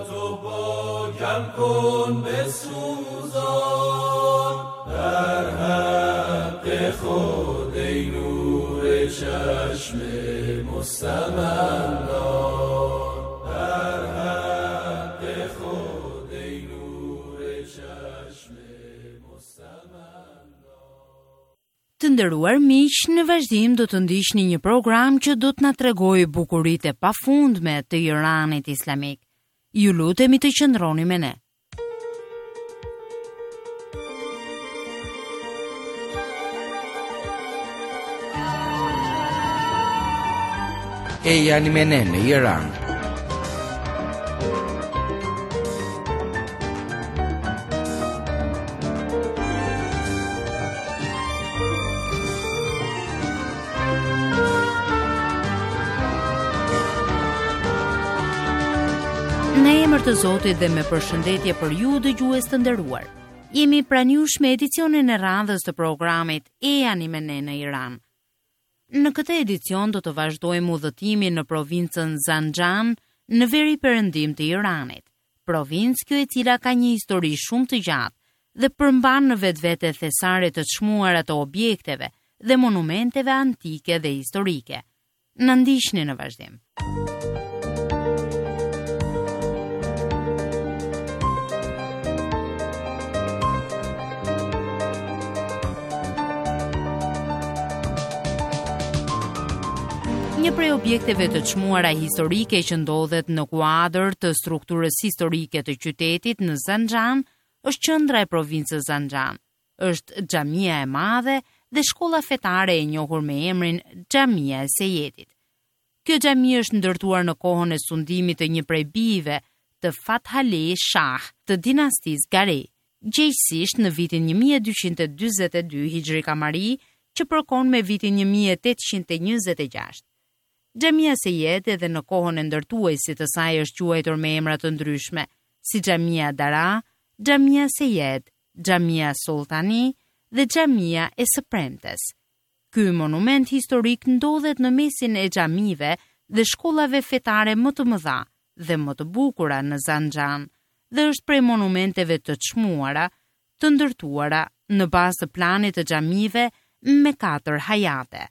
tu pakam kun besuzan در حق خود ای نور چشم مستمندان در حق خود ای نور چشم مستمندان Të nderuar miq, në vazhdim do të ndiqni një program që do të na tregojë bukuritë e pafundme të Iranit Islamik. Ju lutemi të qëndroni me ne. Ejani me ne në Iran. Në emër të Zotit dhe me përshëndetje për ju dëgjues të nderuar. Jemi pranë jush me edicionin e radhës të programit Ejani me ne në Iran. Në këtë edicion do të vazhdojmë udhëtimin në provincën Zanxhan në veri-perëndim të Iranit, provincë kjo e cila ka një histori shumë të gjatë dhe përmban në vetvete thesare të çmuara të objekteve dhe monumenteve antike dhe historike. Na ndiqni në vazhdim. Një prej objekteve të çmuara historike që ndodhet në kuadër të strukturës historike të qytetit në Zanxhan është qendra e provincës Zanxhan. Është xhamia e madhe dhe shkolla fetare e njohur me emrin Xhamia e Sejedit. Kjo xhami është ndërtuar në kohën e sundimit të një prej bijve të Fathali Shah të dinastisë Gari, gjegjësisht në vitin 1242 Hixhri Kamari, që përkon me vitin 1826. Xhamia Sejed edhe në kohën e ndërtuesit të saj është quajtur me emra të ndryshme, si Xhamia Dara, Xhamia Sejed, Xhamia Sulltani dhe Xhamia e së Premtes. Ky monument historik ndodhet në mesin e xhamive dhe shkollave fetare më të mëdha dhe më të bukura në Zanxhan dhe është prej monumenteve të çmuara të ndërtuara në bazë të planit të xhamive me katër hajate.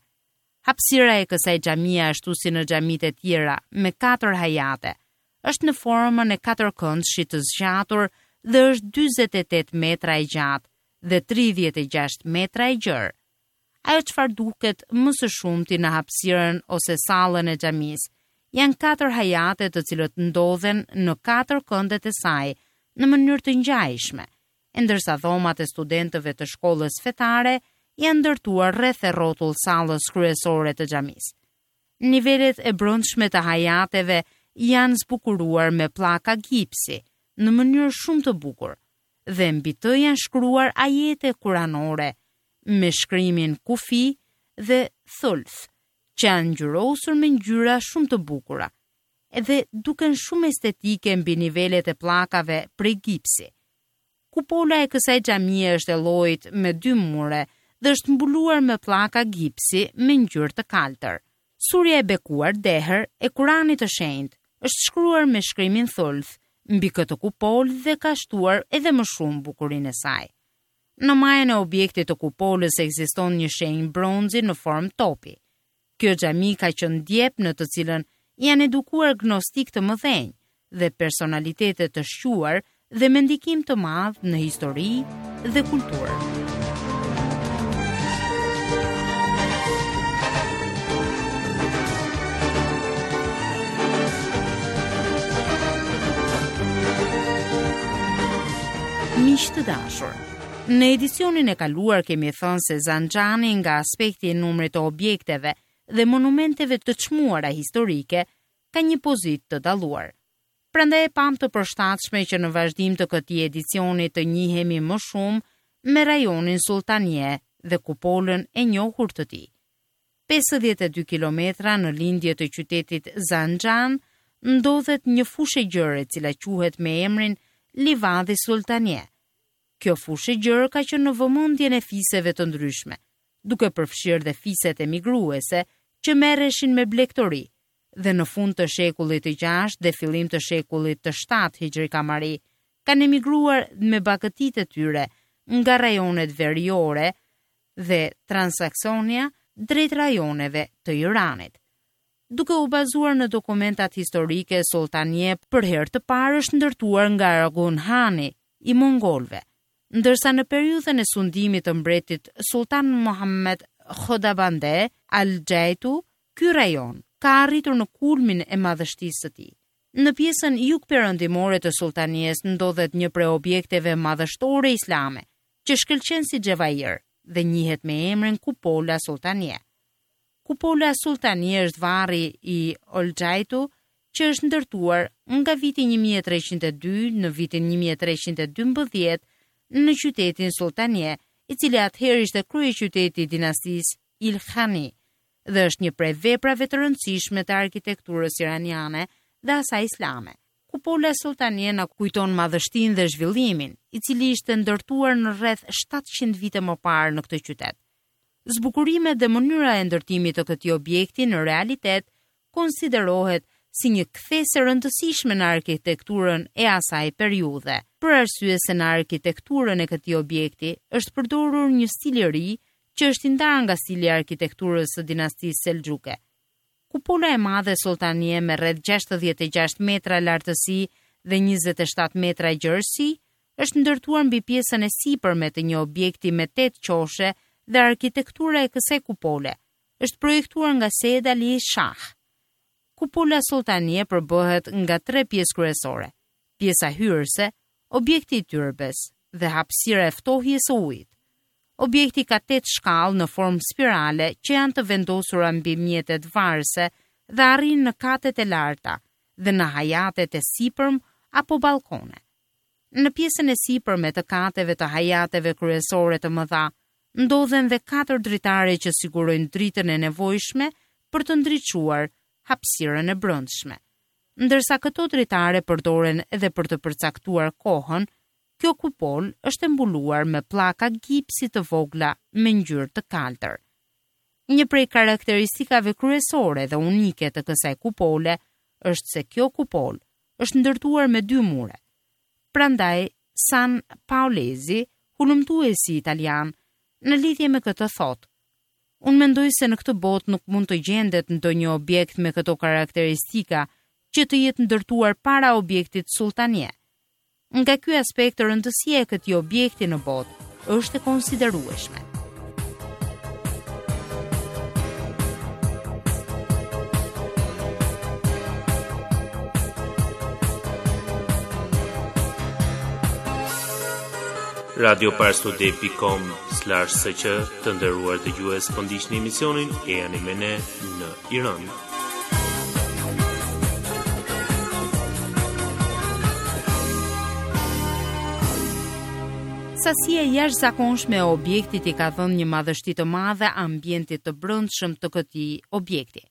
Hapësira e kësaj xhamie ashtu si në xhamitë e tjera me katër hajate është në formën e katërkëndëshit të zgjatur dhe është 48 metra e gjatë dhe 36 metra e gjerë. Ajo çfarë duket më së shumti në hapësirën ose sallën e xhamisë, janë katër hajate të cilët ndodhen në katër këndet e saj në mënyrë të ngjajshme, e ndërsa dhomat e studentëve të shkollës fetare janë ndërtuar rreth e rrotull sallës kryesore të xhamisë. Nivelet e brendshme të hajateve janë zbukuruar me pllaka gipsi në mënyrë shumë të bukur dhe mbi të janë shkruar ajete kuranore me shkrimin kufi dhe thulth, që janë ngjyrosur me ngjyra shumë të bukura, edhe duken shumë estetike mbi nivelet e pllakave prej gipsi. Kupola e kësaj xhamie është e llojit me dy mure dhe është mbuluar me pllaka gipsi me ngjyrë të kaltër. Surja e bekuar Dehr e Kuranit të Shenjtë është shkruar me shkrimin thulth mbi këtë kupolë dhe ka shtuar edhe më shumë bukurinë e saj. Në majën e objektit të kupolës ekziston një shenjë bronzi në formë topi. Kjo xhami ka qenë djep në të cilën janë edukuar gnostikë të mëdhenj dhe personalitete të shquar dhe me ndikim të madh në histori dhe kulturë. Miq të dashur, në edicionin e kaluar kemi thënë se Zanxhani nga aspekti i numrit të objekteve dhe monumenteve të çmuara historike ka një pozitë të dalluar. Prandaj e pamë të përshtatshme që në vazhdim të këtij edicioni të njihemi më shumë me rajonin Sulltanie dhe kupolën e njohur të tij. 52 kilometra në lindje të qytetit Zanxhan ndodhet një fushë e gjerë e cila quhet me emrin Livadhi Sulltanie. Kjo fushë e gjerë ka qenë në vëmendjen e fiseve të ndryshme, duke përfshirë dhe fiset emigruese që merreshin me blegtori dhe në fund të shekullit të gjashtë dhe fillim të shekullit të shtatë Hixhri Kamari kanë emigruar me bagëtitë e tyre nga rajonet veriore dhe Transoksionia drejt rajoneve të Iranit. Duke u bazuar në dokumentat historike, Sulltanie për herë të parë është ndërtuar nga Argun Hani i mongolëve, ndërsa në periudhën e sundimit të mbretit Sulltan Mohammed Khodabande Al-Xhajtu, ky rajon ka arritur në kulmin e madhështisë së tij. Në pjesën jugperëndimore të Sulltanies ndodhet një prej objekteve madhështore islame, që shkëlqen si xhevair dhe njihet me emrin Kupola Sulltanie. Kupola Sulltanie është varri i Olxhajtu që është ndërtuar nga viti 1302 në vitin 1312 në qytetin Sulltanie, i cili atëherë ishte kryeqyteti i dinastisë Ilkhani dhe është një prej veprave të rëndësishme të arkitekturës iraniane dhe asaj islame. Kupola Sulltanie na kujton madhështinë dhe zhvillimin, i cili ishte ndërtuar në rreth 700 vite më parë në këtë qytet. Zbukurimet dhe mënyra e ndërtimit të këtij objekti në realitet konsiderohet si një kthesë e rëndësishme në arkitekturën e asaj periudhe, për arsye se në arkitekturën e këtij objekti është përdorur një stil i ri që është i ndarë nga stili i arkitekturës së dinastisë Selxhuke. Kupola e madhe Sulltanie me rreth 66 metra lartësi dhe 27 metra gjerësi është ndërtuar mbi pjesën e sipërme të një objekti me 8 qoshe dhe arkitektura e kësaj kupole. Është projektuar nga Sejed Ali Shah. Kupola Sulltanie përbëhet nga tre pjesë kryesore, pjesa hyrëse, objekti i tyrbes dhe hapësira e ftohjes së ujit. Objekti ka tetë shkallë në formë spirale që janë të vendosura mbi mjetet varëse dhe arrijnë në katet e larta dhe në hajatet e sipërm apo ballkone. Në pjesën e sipërme të kateve të hajateve kryesore të mëdha ndodhen dhe katër dritare që sigurojnë dritën e nevojshme për të ndriçuar hapësirën e brendshme. Ndërsa këto dritare përdoren edhe për të përcaktuar kohën, kjo kupolë është e mbuluar me pllaka gipsi të vogla me ngjyrë të kaltër. Një prej karakteristikave kryesore dhe unike të kësaj kupole është se kjo kupolë është ndërtuar me dy mure. Prandaj San Paolezi, hulumtuesi italian, në lidhje me këtë thotë: Unë mendoj se në këtë botë nuk mund të gjendet ndonjë objekt me këto karakteristika që të jetë ndërtuar para objektit Sulltanie. Nga ky aspekt rëndësia e këtij objekti në botë është e konsiderueshme. Radio parstoday.com slash sq të nderuar dëgjues po ndiqni emisionin Ejani me ne në Iran. Sasia e jashtëzakonshme e objektit i ka dhënë një madhështi të madhe ambientit të brendshëm të këtij objekti.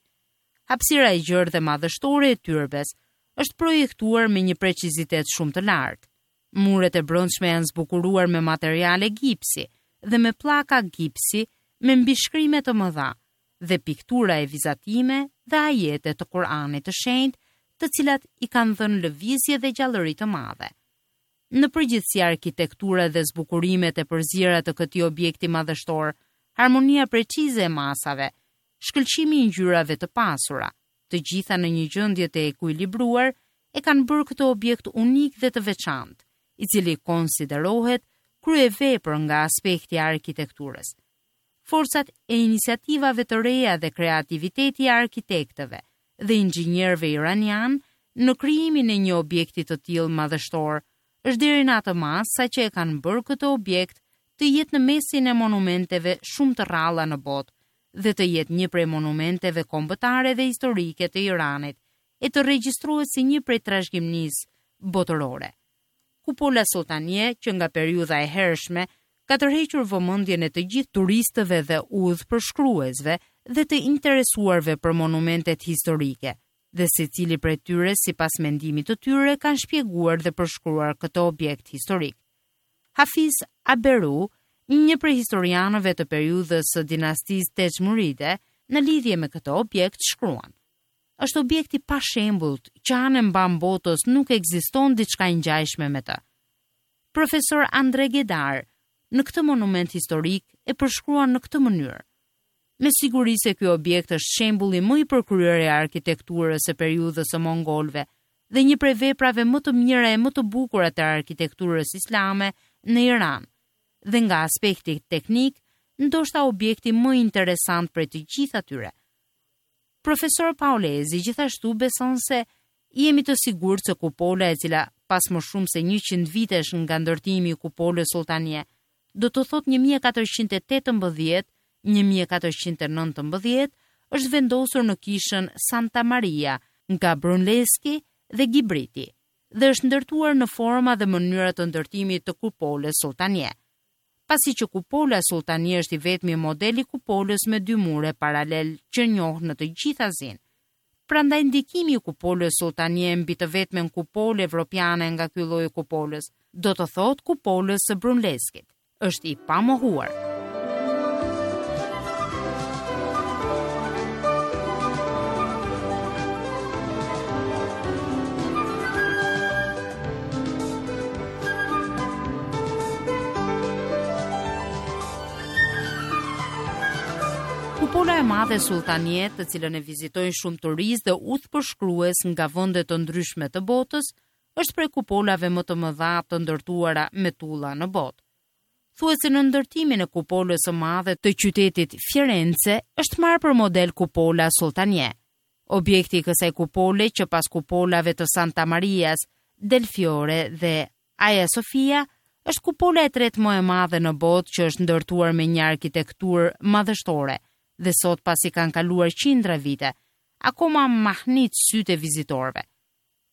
Hapësira e gjerë dhe madhështore e tyrbes është projektuar me një precizitet shumë të lartë. Muret e brendshme janë zbukuruar me materiale gipsi dhe me pllaka gipsi me mbishkrime të mëdha dhe piktura e vizatime dhe ajete të Kur'anit të Shenjtë, të cilat i kanë dhënë lëvizje dhe gjallëri të madhe. Në përgjithësi arkitektura dhe zbukurimet e përziera të këtij objekti madhështor, harmonia precize e masave, shkëlqimi i ngjyrave të pasura, të gjitha në një gjendje të ekuilibruar, e kanë bërë këtë objekt unik dhe të veçantë, i cili konsiderohet kryevepër nga aspekti i arkitekturës. Forcat e iniciativave të reja dhe kreativiteti i arkitektëve dhe inxhinierëve iranianë në krijimin e një objekti të tillë madhështor është deri në atë masë sa që e kanë bërë këtë objekt të jetë në mesin e monumenteve shumë të rralla në botë dhe të jetë një prej monumenteve kombëtare dhe historike të Iranit e të regjistrohet si një prej trashëgimisë botërore. Kupola Sulltanie, që nga periudha e hershme, ka tërhequr vëmendjen e të gjithë turistëve dhe udhëpërshkruesve dhe të interesuarve për monumentet historike, dhe secili prej tyre sipas mendimit të tyre kanë shpjeguar dhe përshkruar këtë objekt historik. Hafiz Aberu, një prej historianëve të periudhës së dinastisë Tejmuride, në lidhje me këtë objekt shkruan: Është objekt i pashembullt që anë e mbanë botës nuk ekziston diçka e ngjashme me të. Profesor Andre Gedar në këtë monument historik e përshkruan në këtë mënyrë. Me siguri se ky objekt është shembulli më i përkryer i arkitekturës së periudhës së mongolëve dhe një prej veprave më të mira e më të bukura të arkitekturës islame në Iran dhe nga aspekti teknik, ndoshta objekti më interesant prej të gjithë atyre. Profesor Paolezi gjithashtu beson se jemi të sigurt se kupola e cila pas më shumë se 100 vitesh nga ndërtimi i kupolës Sulltanie, do të thotë 1418 1419, është vendosur në kishën Santa Maria nga Brunelleschi dhe Ghiberti dhe është ndërtuar në forma dhe mënyra të ndërtimit të kupolës Sulltanie. Pasi që kupola Sulltanie është i vetmi model i kupolës me dy mure paralel që njoh në të gjithë Azinë. Prandaj ndikimi i kupolës Sulltanie mbi të vetmen kupolë evropiane nga ky lloj i kupolës, do të thotë kupolës së Brunelleschi-t, është i pamohuar. Kupola e madhe Sulltanie, të cilën e vizitojnë shumë turistë dhe udhëpërshkrues nga vende të ndryshme të botës, është prej kupolave më të mëdha të ndërtuara me tulla në botë. Thuhet se në ndërtimin e kupolës së madhe të qytetit Firence është marrë për model kupola Sulltanie. Objekti i kësaj kupole që pas kupolave të Santa Marias del Fiore dhe Aja Sofia është kupola e tretë më e madhe në botë që është ndërtuar me një arkitekturë madhështore dhe sot pasi kanë kaluar qindra vite, akoma mahnit sytë e vizitorëve.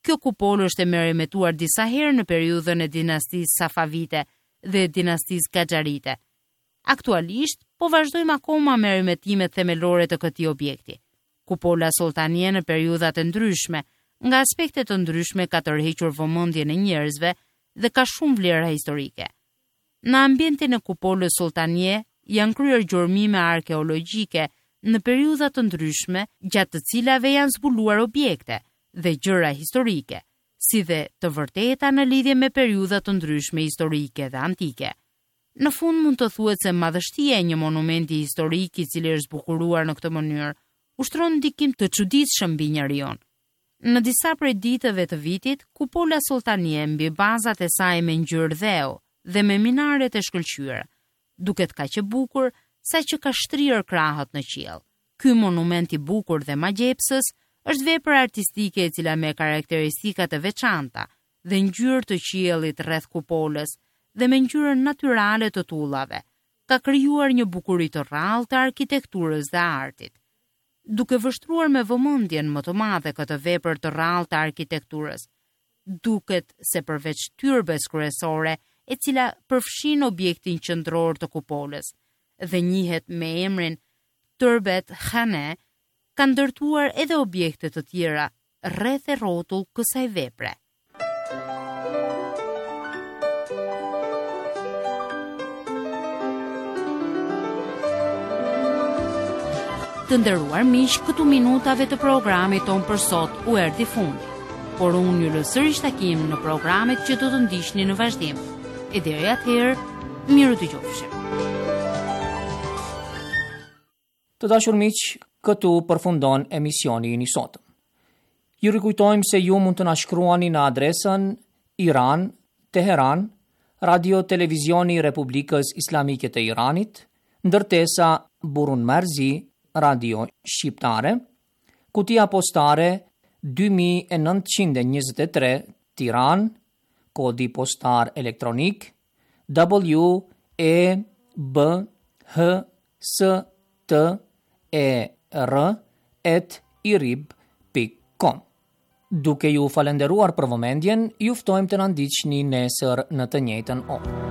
Kjo kupolë është e meremetuar disa herë në periudhën e dinastisë Safavite dhe dinastisë Gaxharite. Aktualisht, po vazhdojmë akoma meremetimet themelore të këtij objekti. Kupola Sulltanie në periudhat e ndryshme, nga aspekte të ndryshme ka tërhequr vëmendjen e njerëzve dhe ka shumë vlera historike. Në ambientin e kupolës Sulltanie janë kryer gjurmime arkeologjike në periudha të ndryshme gjatë të cilave janë zbuluar objekte dhe gjëra historike, si dhe të vërteta në lidhje me periudha të ndryshme historike dhe antike. Në fund mund të thuhet se madhështia e një monumenti historik i cili është zbukuruar në këtë mënyrë ushtron ndikim të çuditshëm mbi njeriun. Në disa prej ditëve të vitit, kupola Sulltanie mbi bazat e saj me ngjyrë dheu dhe me minaret e shkëlqyera, duket kaq e bukur saqë ka shtrirë krahët në qiell. Ky monument i bukur dhe magjepsës është vepër artistike e cila me karakteristika të veçanta dhe ngjyrë të qiellit rreth kupolës dhe me ngjyrën natyrale të tullave, ka krijuar një bukuri të rrallë të arkitekturës dhe artit. duke vështruar me vëmendjen më të madhe këtë vepër të rrallë të arkitekturës. Duket se përveç tyrbes kryesore, e cila përfshin objektin qendror të kupolës dhe njihet me emrin Tyrbet Khane, kanë ndërtuar edhe objekte të tjera rreth e rrotull kësaj vepre. Të nderuar miq, këtu minutave të programit tonë për sot u erdhi fundi. Por unë ju lë sërish takim në programet që do të ndiqni në vazhdim. E deri atëherë, mirudëgjofshim. Të dashur miq, këtu përfundon emisioni ynë i sotëm. Ju rikujtojmë se ju mund të na shkruani në adresën Iran, Teheran, Radio Televizioni i Republikës Islamike të Iranit, ndërtesa Burun Marzi, Radio Shqiptare, kutia postare 2923 Tiranë, kodi postar elektronik W E B H S T E R at irib pikë com. Duke ju falënderuar për vëmendjen, ju ftojmë të na ndiqni nesër në të njëjtën orë.